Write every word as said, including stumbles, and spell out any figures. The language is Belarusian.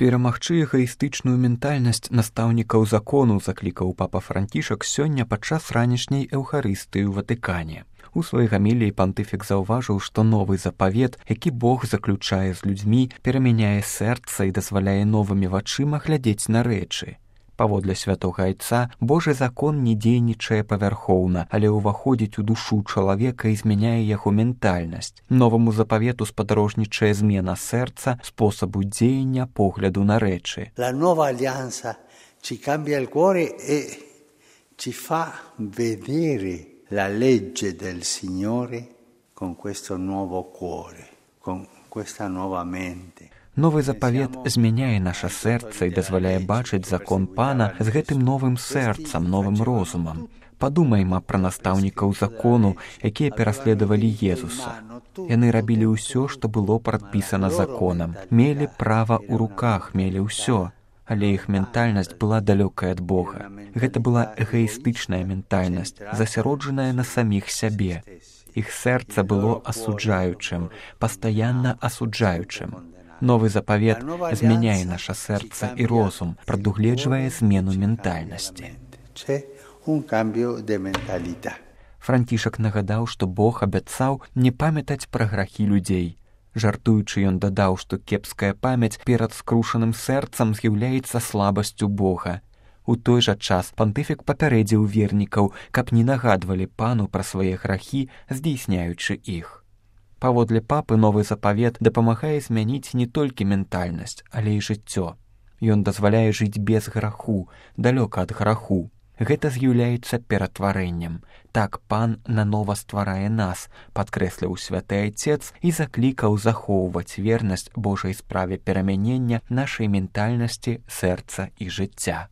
Перамагчы эгоістычную ментальнасць настаўнікаў закону заклікаў папа Францішак сёння падчас ранішняй эўхарыстыі ў Ватыкане. У сваёй гаміліі пантыфік заўважыў, што новы запавет, які Бог заключае з людзьмі, перамяняе сэрца і дазваляе новымі вачыма глядзець на рэчы. Паводле святога айца, Божы закон не дзейнічае павярхоўна, але ўваходзіць у душу чалавека і змяняе яго ментальнасць. Новаму запавету спадарожнічае змена сэрца, спосабу дзеяння, погляду на рэчы. La nuova alleanza ci cambia il cuore e ci fa vedere la legge del Signore con questo nuovo cuore, con questa nuova mente. Новы запавет змяняе наша сэрца і дазваляе бачыць закон Пана з гэтым новым сэрцам, новым розумам. Падумайма пра настаўнікаў закону, якія пераследавалі Езуса. Яны рабілі ўсё, што было прадпісана законам, мелі права ў руках, мелі ўсё. Але іх ментальнасць была далёкая ад Бога. Гэта была эгоістычная ментальнасць, засяроджаная на саміх сябе. Іх сэрца было асуджаючым, пастаянна асуджаючым. Новы запавет змяняе наша сэрца і розум, прадугледжвае змену ментальнасці. Францішак нагадаў, што Бог абяцаў не памятаць пра грахі людзей. Жартуючы, ён дадаў, што кепская памяць перад скрушаным сэрцам з'яўляецца слабасцю Бога. У той жа час пантыфік папярэдзіў вернікаў, каб не нагадвалі Пану пра свае грахі, здзейсняючы іх. Паводле папы новы запавет дапамагае змяніць не толькі ментальнасць, але і жыццё. Ён дазваляе жыць без граху, далёка ад граху. Гэта з'яўляецца ператварэннем. Так Пан нанова стварае нас, падкрэсліў святы айцец і заклікаў захоўваць вернасць Божай справе перамянення нашай ментальнасці, сэрца і жыцця.